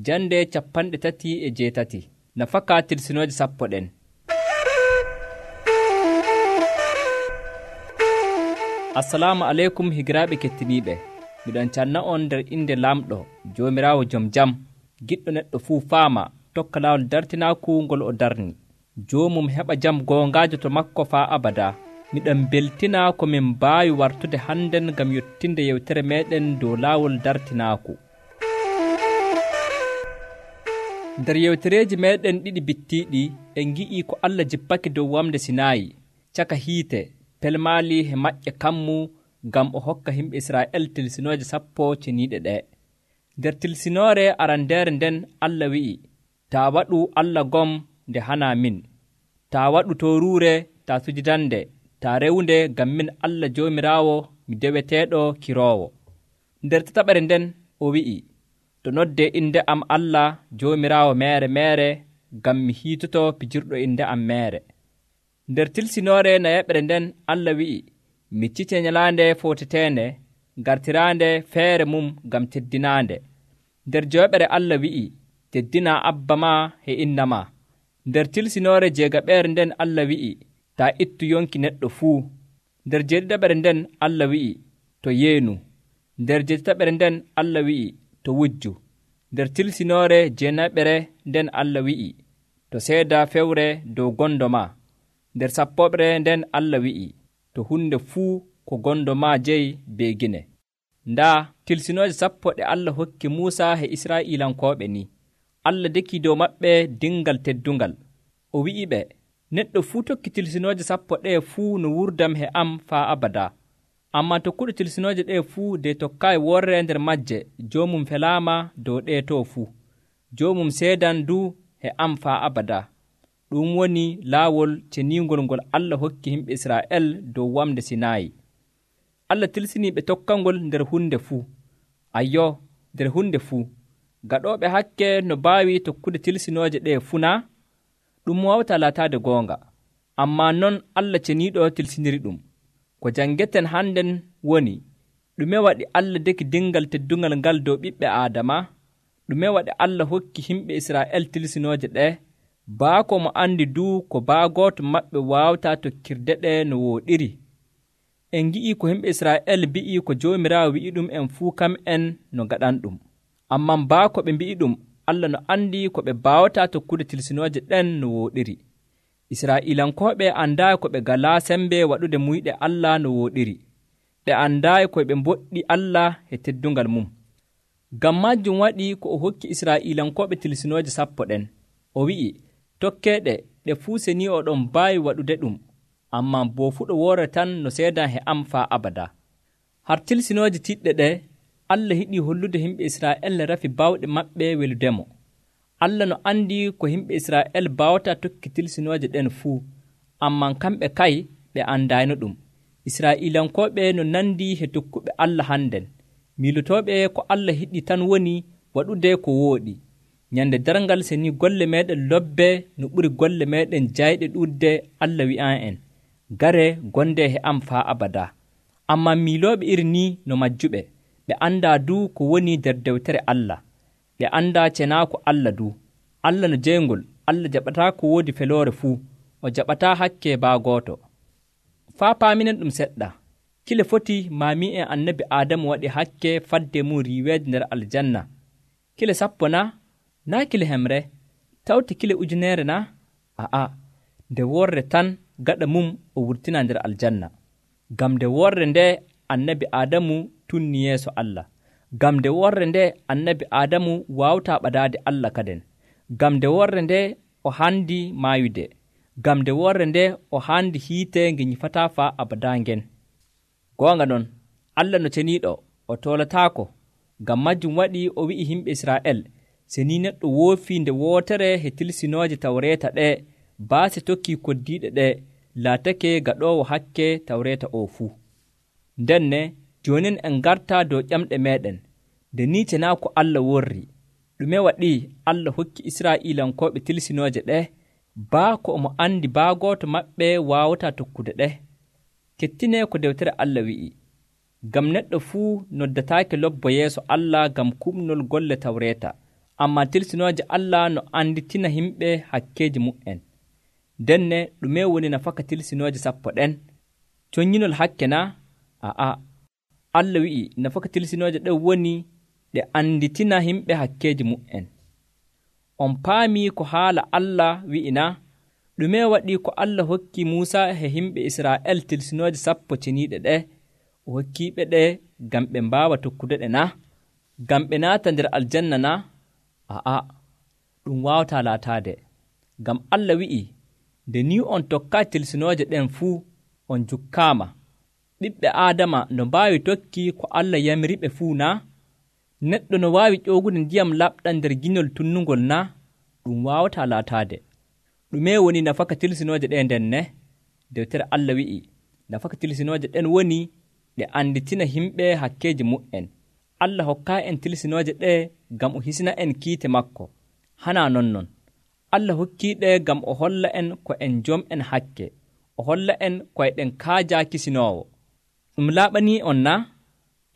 jande 38 nafaka tilsinooje 10 ɗen. Assalamu aleykum higiraaɓe kettiniiɓe, miɗon canna on nder inde lamɗo joomiraawo jom jam, giɗɗo neɗɗo fuu faama tokka laawol dartinaaku ngol o darni. Joomum heɓa jam goongaajo to makko faa abada. Miɗon beltina ko min mbaawi wartude hannden ngam yottinde yewtere meeɗen dow laawol dartinaaku. Nder yewtereeji meeɗen ɗiɗi bittiiɗi en ngi'ii ko Allah jippake dow wamde Sinaayi caka hiite pelmaali he maƴƴe kammu ngam o hokka yimɓe Israa'el tilsinooje 10 ceniiɗe ɗee. Nder tilsinoore arandeere nden Allah wi'i, taa waɗu Allah gom nde hanaa min, taa waɗu tooruure, taa sujidande, taa rewnde ngam min Allah Joomiraawo mi deweteeɗo kiroowo. Nder tataɓere nden o wi'i, to noddee inde am Allah Joomiraawo meere meere ngam mi hiitoto pijirɗo inde am meere. Nder tilsinoore nayeɓere nden Allah wi'i, miccite nyalaande footeteende gartiraande feere mum ngam teddinaande. Nder joweɓere Allah wi'i, teddinaa abba ma e inna ma. Nder tilsinoore jeegaɓeere nden Allah wi'i, taa ittu yonki neɗɗo fuu. Nder jeeɗiɗaɓere nden Allah wi'i, to yeenu. Nder jeetataɓere nden Allah wi'i, to wujju. Nder tilsinoore jeenaɓere nden Allah wi'i, to seeda fewre dow gondo ma. Nder sappoɓere nden Allah wi'i, to hunde fuu ko gondo ma jeyi beegine. Ndaa tilsinooje 10 ɗe Allah hokki Muusa e Israa'iilankooɓe ni. Allah deki dow maɓɓe dingal teddungal. O wi'iɓe, neɗɗo fuu tokki tilsinooje 10 ɗee fuu no wurdam he am faa abada. Ammaa tokkuɗo tilsinooje ɗee fuu de tokkaayi worre nder majje, joomum felaama dow ɗee too fuu. Joomum seedan du he am faa abada. Ɗum woni laawol ceniingol ngol Allah hokki yimɓe Israa'el dow wamde Sinaayi. Allah tilsinii ɓe tokkangol nder hunde fuu. Ayyo, nder hunde fuu. Gaɗooɓe hakke no mbaawi tokkude tilsinooje ɗee fuu naa? Ɗum wawta laataade goonga. Ammaa non Allah ceniiɗo tilsiniri ɗum. Ko janngeten hannden woni, ɗume waɗi Allah deki dingal teddungal ngal dow ɓiɓɓe Aadama? Ɗume waɗi Allah hokki yimɓe Israa'el tilsinooje ɗee? Baako mo andi duu ko baagooto maɓɓe waawta tokkirde ɗe no wooɗiri. En ngi'ii ko yimɓe Israa'el mbi'ii ko Joomiraawo wi'i ɗum en fuu kam en no gaɗan ɗum. Ammaa baako ɓe mbi'i ɗum, Allah no andi ko ɓe baawata tokkude tilsinooje ɗen no wooɗiri. Israa'iilankooɓe andaayi ko ɓe galaa sembe waɗude muyɗe Allah no wooɗiri. Ɓe andaayi ko ɓe mboɗɗi Allah e teddungal mum. Ngam majjum waɗi ko o hokki Israa'iilankooɓe tilsinooje 10 ɗen. O wi'i, tokkeeɗe ɗe fuu seni oɗon mbaawi waɗude ɗum, ammaa boo fuɗo woore tan no seedan he am faa abada. Har tilsinooje tiɗɗe ɗe, Allah hiɗii hollude yimɓe Israa'el rafi baawɗe maɓɓe weludemo. Allah no andi ko yimɓe Israa'el baawata tokki tilsinooje ɗen fuu, ammaa kamɓe kay ɓe andaayno ɗum. Israa'iilankooɓe no nandi he tokkuɓe Allah hannden, miilotooɓe ko Allah hiɗii tan woni waɗude ko wooɗi. Nyande darngal seni golle meeɗen lobbe no ɓuri golle meeɗen jayɗe ɗuɗde, Allah wi'an en, gare gonde he am faa abada. Ammaa miilooɓe iri ni no majjuɓe, ɓe andaa du ko woni nder dewtere Allah. Ɓe andaa cenaako Allah du. Allah no jeyngol, Allah jaɓataa ko woodi feloore fuu, o jaɓataa hakke baagooto. Faa paaminen ɗum seɗɗa, kile foti maami en annabi Aadamu waɗi hakke fadde mum riiweede nder aljanna. Kile 10 na? Naa kile hemre, tawti kile 1,000 na? A'a, nde worre tan gaɗa mum o wurtina nder aljanna. Ngam nde worre nde annabi Aadamu tunni yeeso Allah. Ngam nde worre nde annabi Aadamu waawtaa ɓadaade Allah kaden. Ngam nde worre nde o haandi maayude. Ngam nde worre nde o haandi hiite nge nyifataa faa abadaa ngen. Goonga non, Allah no ceniiɗo, o toolataako. Ngam majjum waɗi o wi'i yimɓe Israa'el, seni neɗɗo woofii nde wootere he tilsinooje tawreeta ɗee, baase tokkii koddiiɗe ɗee, laatake gaɗoowo hakke tawreeta oo fuu. Ndenne, joonin en ngartaa dow ƴamɗe meeɗen, nde ni cenaa ko Allah worri. Ɗume waɗi Allah hokki Israa'iilankooɓe tilsinooje ɗee? Baa ko omo andi baagooto maɓɓe waawataa tokkude ɗe. Kettinee ko dewtere Allah wi'i, ngam neɗɗo fuu noddataake lobbo yeeso Allah ngam kuɓnol golle tawreeta, ammaa tilsinooje Allah no anditina himɓe hakkeeji mu'en. Denne ɗume woni nafaka tilsinooje sappo ɗen? Coññinol hakke na? Aa, Allah wi'i nafaka tilsinooje ɗen woni ɗe anditina himɓe hakkeeji mu'en. On paamii ko haala Allah wi'ina? Ɗume waɗii ko Allah hokki Muusa e himɓe Israa'el tilsinooje sappo ceniiɗe ɗe? O hokkiiɓe ɗe ngam ɓe mbaawa tokkude ɗe na? Ngam ɓe naata nder aljanna na? Aa, ɗum waawataa laataade. Ngam Allah wi'i, nde ni on tokkaa tilsinooje ɗen fuu, on jukkaama. Ɓiɓɓe Aadama no mbaawi tokki ko Allah yamiriɓe fuu na? Neɗɗo no waawi ƴoogude ndiyam laɓɗam nder giñol tunnungol na? Ɗum waawataa laataade. Ɗume woni nafaka tilsinooje ɗe nden ne? Dewtere Allah wi'i, nafaka tilsinooje ɗen woni ɗe anditina himɓe hakkeeji mu'en. Allah hokkaa en tilsinooje ɗe ngam o hisina en kiite makko. Hanaa nonnon. Allah hokkiiɗe ngam o holla en ko en jom'en hakke. O holla en koyɗen kaajaa kisinoowo. Ɗum laaɓanii on na?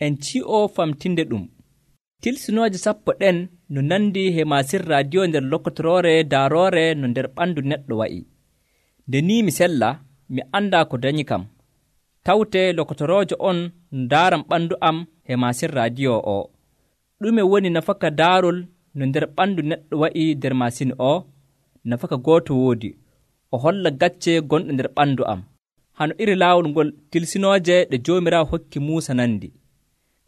En ci'o famtinde ɗum. Tilsinooje sappo ɗen no nandi he masin radio nder lokotoroore daaroore no nder ɓanndu neɗɗo wa'i. Nde ni mi sella, mi anndaa ko dañi kam. Tawte lokotoroojo on ndaaram ɓanndu am he masin radio o. Ɗume woni nafaka daarol no nder ɓanndu neɗɗo wa'i nder masin o? Nafaka gooto woodi, o holla gacce gonɗo nder ɓanndu am, hano iri laawol ngol tilsinooje ɗe Joomiraawo hokki Muusa nandi.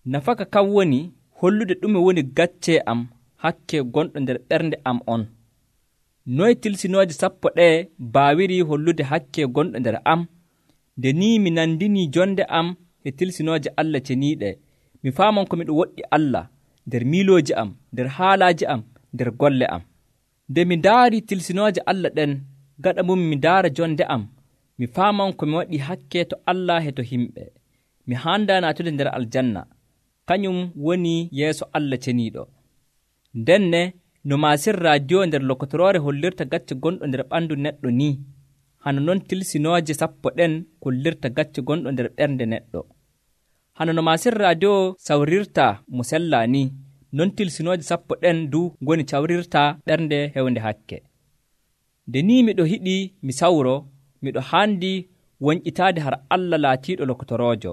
Nafaka kam woni hollude ɗume woni gacce am hakke gonɗo nder ɓernde am on. Noye tilsinooje sappo ɗe baawiri hollude hakke gonɗo nder am? Nde ni mi nandini jonde am e tilsinooje Allah ceniiɗe, mi faamon ko miɗo woɗɗi Allah nder miilooji am, nder haalaaji am, nder golle am. Nde mi ndaari tilsinooje Allah ɗen, gaɗa mum mi ndaara jonde am, mi faamon ko mi waɗi hakke to Allah e to himɓe. Mi haanda naatude nder aljanna, kañum woni yeeso Allah ceniiɗo. Ndenne no masin radio nder lokotoroore hollirta gacce gonɗo nder ɓanndu neɗɗo ni, hano non tilsinooje sappo ɗen kollirta gacce gonɗo nder ɓernde neɗɗo. Hano no masin radio sawrirta mo sellaa ni, non tilsinooje sappo ɗen du ngoni cawrirta ɓernde hewnde hakke. Nde ni miɗo hiɗi mi sawro, miɗo haandi wonƴitaade har Allah laatiiɗo lokotoroojo,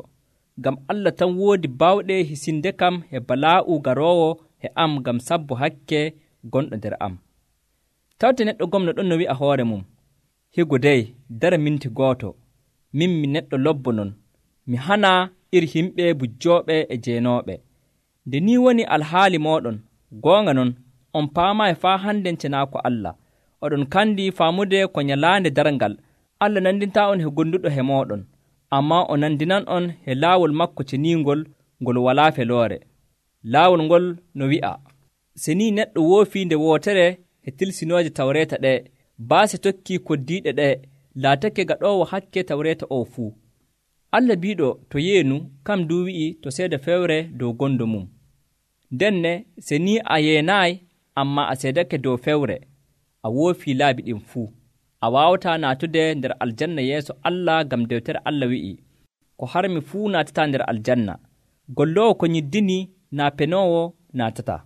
ngam Allah tan woodi baawɗe hisinde kam e balaa'u garoowo e am ngam sabbo hakke gonɗo nder am. Tawte neɗɗo gomno ɗon no wi'a hoore mum, higo dey dara minti gooto, min mi neɗɗo lobbo non, mi hanaa iri himɓe bujjooɓe e jeenooɓe. Nde ni woni alhaali mooɗon, goonga non, on paamaayi faa hannden cenaako Allah. Oɗon kandi faamude ko nyalaande darngal Allah nandintaa on he gonduɗo he mooɗon, ammaa o nandinan on he laawol makko ceniingol ngol walaa feloore. Laawol ngol no wi'a, se ni neɗɗo woofii nde wootere he tilsinooje tawreeta ɗe, baase tokkii koddiiɗe ɗe, laatake gaɗoowo hakke tawreeta o fuu. Allah biiɗo to yeenu kam du wi'i to seeda fewre dow gondo mum. Ndenne se ni a yeenaayi ammaa a seedake dow fewre, a woofii laabi ɗin fuu. A waawataa naatude nder aljanna yeeso Allah ngam dewtere Allah wi'i, ko harmi fuu naatataa nder aljanna. Golloowo ko nyiddini naa penoowo naatataa.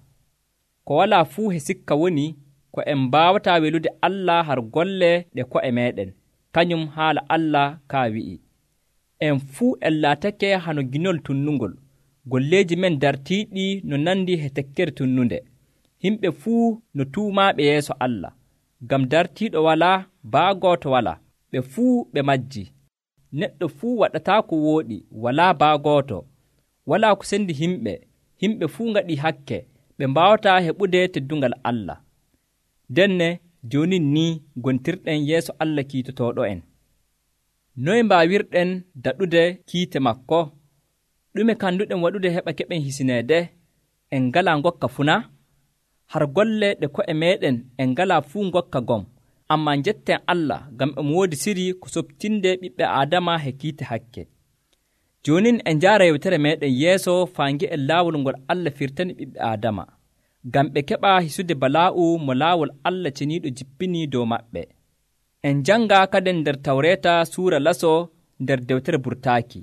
Ko walaa fuu he sikka woni ko en mbaawataa welude Allah har golle ɗe ko'e meeɗen. Kañum haala Allah kaa wi'i, en fuu en laatake hano ginol tunnungol, golleeji men dartiiɗi no nandi he tekkere tunnunde. Himɓe fuu no tuumaaɓe yeeso Allah, ngam dartiiɗo walaa, baagooto walaa, ɓe fuu ɓe majji. Neɗɗo fuu waɗataa ko wooɗi, walaa baagooto, walaa ko sendi himɓe, himɓe fuu ngaɗii hakke, ɓe mbaawataa heɓude teddungal Allah. Denne jooni ni gontirɗen yeeso Allah kiitotooɗo en. Noye mbaawirɗen daɗude kiite makko? Ɗume kanduɗen waɗude heɓa keɓen hisineede? En ngalaa ngokka funa? Har golle ɗe ko'e meeɗen en ngalaa fuu ngokka gom, ammaa njetten Allah ngam emo woodi siri ko soɓtinde ɓiɓɓe Aadama he kiite hakke. Joonin en njaara yewtere meeɗen yeeso faangi en laawol ngol Allah firtani ɓiɓɓe Aadama, ngam ɓe keɓa hisude balaa'u mo laawol Allah ceniiɗo jippini dow maɓɓe. En jannga kaden nder tawreeta suura laso nder dewtere burtaaki.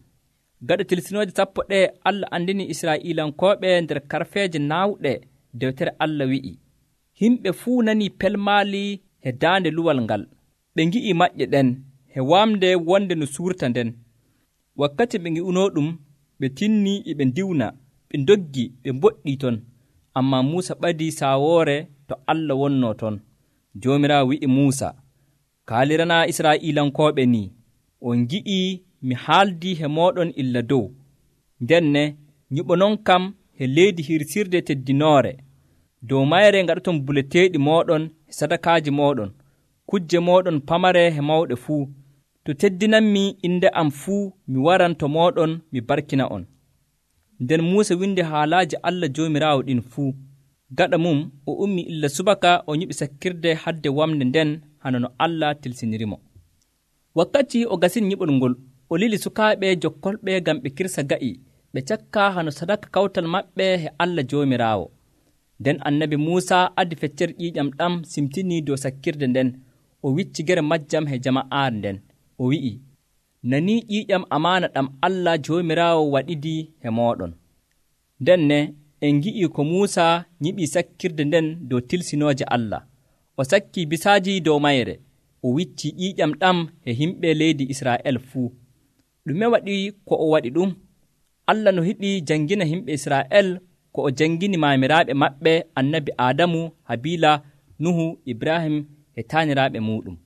Gaɗa tilsinooje sappo ɗe Allah andini Israa'iilankooɓe nder karfeeje naawɗe, dewtere Allah wi'i, Himɓe fuu nanii pelmaali he daande luwal ngal. Ɓe ngi'i maƴƴe ɗen he wamde wonde no suurta nden. Wakkati ɓe ngi'unoo ɗum, ɓe tinnii e ɓe ndiwna, ɓe ndoggi, ɓe mboɗɗii ton. Ammaa Muusa ɓadii saawoore to Allah wonnoo ton. Joomiraawo wi'i Muusa, kaaliranaa Israa'iilankooɓe nii, on ngi'ii mi haaldii he mooɗon illa dow. Ndenne nyiɓonon kam he leydi hirsirde teddinoore. Dow mayre ngaɗoton buleteeɗi mooɗon e sadakaaji mooɗon, kujje mooɗon pamare he mawɗe fuu. To teddinanmi inde am fuu, mi waran to mooɗon mi barkina on. Nden Muusa windi haalaaji Allah Joomiraawo ɗin fuu. Gaɗa mum o ummi illa subaka o nyiɓi sakkirde hadde wamde nden hana no Allah tilsinirimo. Wakkati o gasin nyiɓol ngol, o lili sukaaɓe jokkolɓe ngam ɓe kirsa ga'i, ɓe cakka hano sadaka kawtal maɓɓe he Allah Joomiraawo. Nden annabi Muusa addi feccere ƴiiƴam ɗam simtinii dow sakkirde nden, o wicci gere majjam he jama'aare nden. O wi'i, nanii ƴiiƴam amaana ɗam Allah Joomiraawo waɗidii he mooɗon. Ndenne en ngi'ii ko Muusa nyiɓii sakkirde nden dow tilsinooje Allah. O sakkii bisaaji dow mayre, o wiccii ƴiiƴam ɗam he himɓe leydi Israa'el fuu. Ɗume waɗi ko o waɗi ɗum? Allah no hiɗi janngina himɓe Israa'el ko o janngini maamiraaɓe maɓɓe annabi Aadamu, Habiila, Nuhu, Ibrahim e taaniraaɓe muuɗum.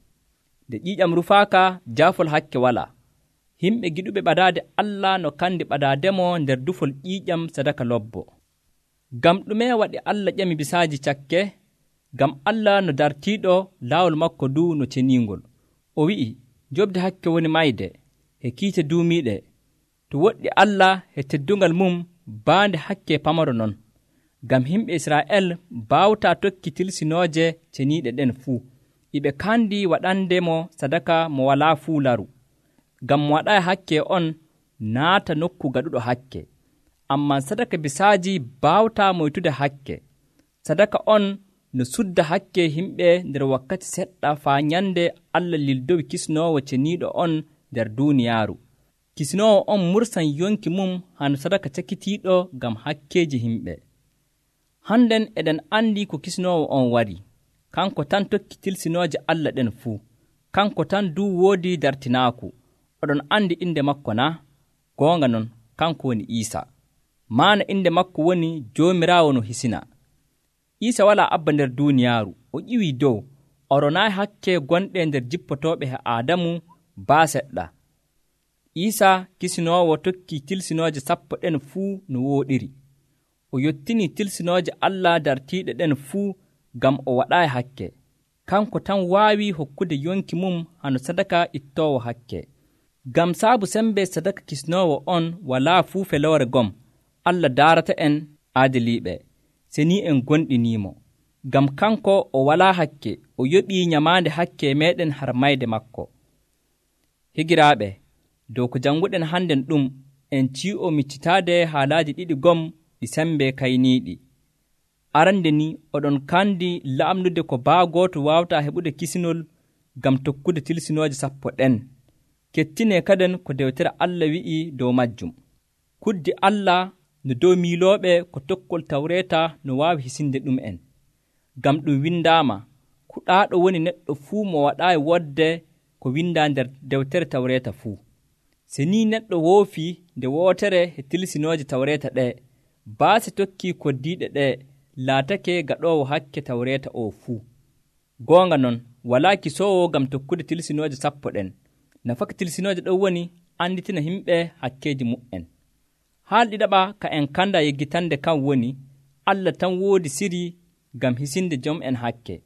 Nde ƴiiƴam rufaaka, jaafol hakke walaa. Himɓe giɗuɓe ɓadaade Allah no kandi ɓadaademo nder dufol ƴiiƴam sadaka lobbo. Ngam ɗume waɗi Allah ƴami bisaaji cakke? Ngam Allah no dartiiɗo laawol makko ndu no ceniingol. O wi'i, jobde hakke woni mayde he kiite duumiiɗe. To woɗɗi Allah he teddungal mum baande hakke pamaro non. Ngam himɓe Israa'el baawtaa tokki tilsinooje ceniiɗe ɗen fuu. Iɓe kandi waɗande mo sadaka mo walaa fuu laru. Ngam mo waɗaayi hakke on naata nokku gaɗuɗo hakke. Ammaa sadaka bisaaji baawtaa moytude hakke. Sadaka on no sudda hakke himɓe nder wakkati seɗɗa faa nyande Allah lildowi kisnoowo ceniiɗo on nder duuniyaaru. Kisnoowo on mursan yonki mum hano sadaka cakitiiɗo ngam hakkeeji himɓe. Hannden eɗen andi ko kisnoowo on wari. Kanko tan tokki tilsinooje Allah ɗen fuu. Kanko tan duu woodi dartinaaku. Oɗon andi inde makko na? Goonga non, kanko woni Iisa. Maana inde makko woni Joomiraawo no hisina. Iisa walaa abba nder duuniyaaru. O ƴiwii dow. O ronaayi hakke gonɗe nder jippotooɓe he Aadamu baa seɗɗa. Iisa kisinoowo tokki tilsinooje 10 ɗen fuu no wooɗiri. O yottinii tilsinooje Allah dartiiɗe ɗen fuu ngam o waɗaayi hakke. Kanko tan waawi hokkude yonki mum hano sadaka ittoowo hakke. Ngam saabu sembe sadaka kisnoowo on walaa fuu feloore gom, Allah daarata en aadiliiɓe, senii en gonɗiniimo. Ngam kanko o walaa hakke, o yoɓii nyamaande hakke meeɗen har mayde makko. Higiraaɓe, dow ko jannguɗen hannden ɗum, en cii'o miccitaade haalaaji ɗiɗi gom ɗi sembe kayniiɗi. Arande ni oɗon kandi laamnude ko baa gooto waawtaa heɓude kisinol ngam tokkude tilsinooje 10 ɗen. Kettinee kaden ko dewtere Allah wi'i dow majjum. Kuddi Allah no dow miilooɓe ko tokkol tawreeta no waawi hisinde ɗum en. Ngam ɗum windaama, kuɗaaɗo woni neɗɗo fuu mo waɗaayi wodde ko windaa nder dewtere tawreeta fuu. Se ni neɗɗo woofii nde wootere he tilsinooje tawreeta ɗee, baasi tokkii koddiiɗe ɗee, laatake gaɗoowo hakke tawreeta o fuu. Goonga non, walaa kisoowo ngam tokkude tilsinooje 10 ɗen. Nafaka tilsinooje ɗon woni anditina himɓe hakkeeji mu'en. Haal ɗiɗaɓa ka en kanda yeggitande kan woni, Allah tan woodi siri ngam hisinde jom'en hakke.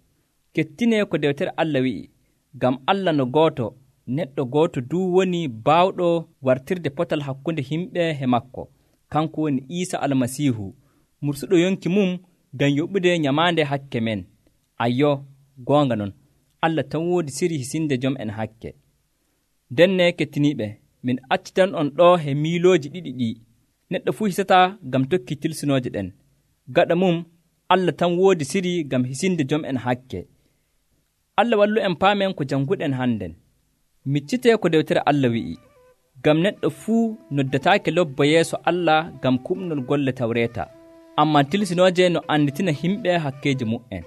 Kettinee ko dewtere Allah wi'i, ngam Allah no gooto, neɗɗo gooto duu woni baawɗo wartirde potal hakkunde himɓe he makko. Kanko woni Iisa Almasiihu, mursuɗo yonki mum ngam yoɓude nyamaande hakke men. Ayyo, goonga non, Allah tan woodi siri hisinde jom'en hakke. Denne kettiniiɓe, min accitan on ɗo he miilooji ɗiɗi ɗi. Neɗɗo fuu hisataa ngam tokki tilsinooje ɗen. Gaɗa mum, Allah tan woodi siri ngam hisinde jom'en hakke. Allah wallu en paamen ko jannguɗen hannden. Miccitee ko dewtere Allah wi'i, ngam neɗɗo fuu noddataake lobbo yeeso Allah ngam kuɓnol golle tawreeta, ammaa tilsinooje no anditina himɓe hakkeeji mu'en.